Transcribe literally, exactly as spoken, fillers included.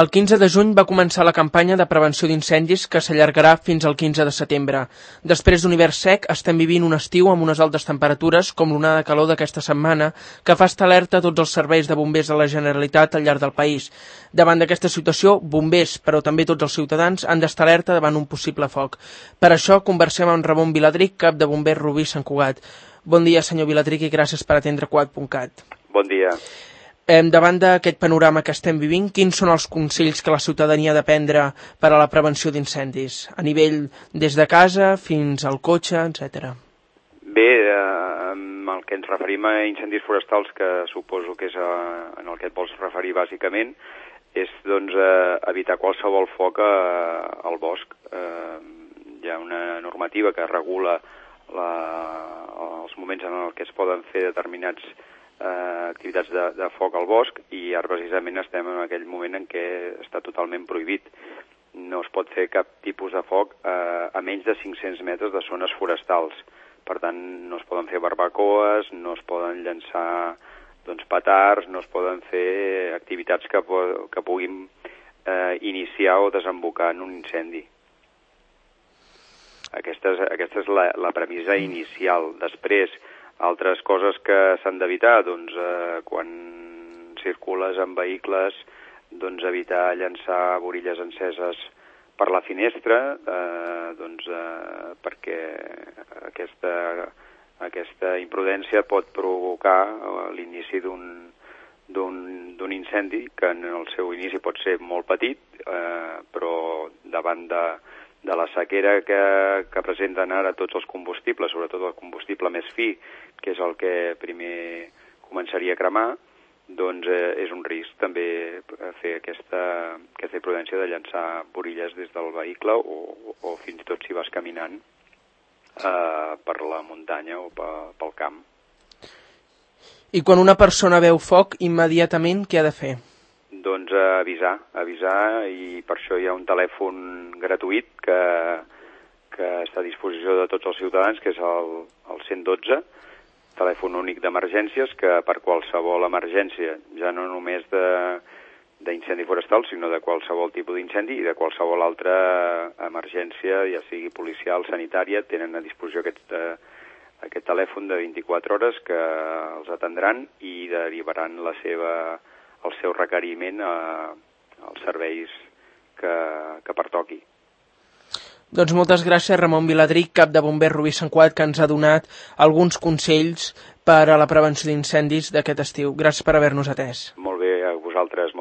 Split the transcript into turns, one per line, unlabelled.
El quinze de juny va començar la campanya de prevenció d'incendis que s'allargarà fins al quinze de setembre. Després d'un hivern sec, estem vivint un estiu amb unes altes temperatures, com l'onada de calor d'aquesta setmana, que fa estar alerta a tots els serveis de bombers de la Generalitat al llarg del país. Davant d'aquesta situació, bombers, però també tots els ciutadans, han d'estar alerta davant un possible foc. Per això, conversem amb Ramon Viladric, cap de bombers Rubí Sant Cugat. Bon dia, senyor Viladric, i gràcies per atendre Cugat punt cat.
Bon dia.
Eh, davant d'aquest panorama que estem vivint, quins són els consells que la ciutadania ha de prendre per a la prevenció d'incendis? A nivell des de casa fins al cotxe, etcètera.
Bé, eh, amb el que ens referim a incendis forestals, que suposo que és a, en el que et vols referir bàsicament, és doncs, eh, evitar qualsevol foc a, al bosc. Eh, hi ha una normativa que regula la, els moments en què es poden fer determinats Eh, activitats de, de foc al bosc, i ara precisament estem en aquell moment en què està totalment prohibit. No es pot fer cap tipus de foc eh, a menys de cinc-cents metres de zones forestals. Per tant, no es poden fer barbacoes, no es poden llançar doncs, petards, no es poden fer activitats que, que puguin eh, iniciar o desembocar en un incendi. Aquesta és, aquesta és la, la premissa inicial. Després, altres coses que s'han d'evitar, doncs, eh, quan circules en vehicles, doncs evitar llançar borilles enceses per la finestra, eh, doncs, eh, perquè aquesta, aquesta imprudència pot provocar l'inici d'un d'un incendi, que en el seu inici pot ser molt petit, eh, però davant de de la sequera que, que presenten ara tots els combustibles, sobretot el combustible més fi, que és el que primer començaria a cremar, doncs eh, és un risc també fer aquesta, aquesta imprudència de llançar borilles des del vehicle o, o fins i tot si vas caminant eh, per la muntanya o pel camp.
I quan una persona veu foc, immediatament què ha de fer?
Doncs eh, avisar, avisar, i per això hi ha un telèfon gratuït que, que està a disposició de tots els ciutadans, que és el, el cent dotze, telèfon únic d'emergències, que per qualsevol emergència, ja no només d'incendi forestal, sinó de qualsevol tipus d'incendi i de qualsevol altra emergència, ja sigui policial, sanitària, tenen a disposició aquest, eh, aquest telèfon de vint-i-quatre hores que els atendran i derivaran la seva... el seu requeriment a, als serveis que, que pertoqui.
Doncs moltes gràcies, Ramon Viladric, cap de bombers Rubí Sant Cugat, que ens ha donat alguns consells per a la prevenció d'incendis d'aquest estiu. Gràcies per haver-nos atès.
Molt bé, a vosaltres.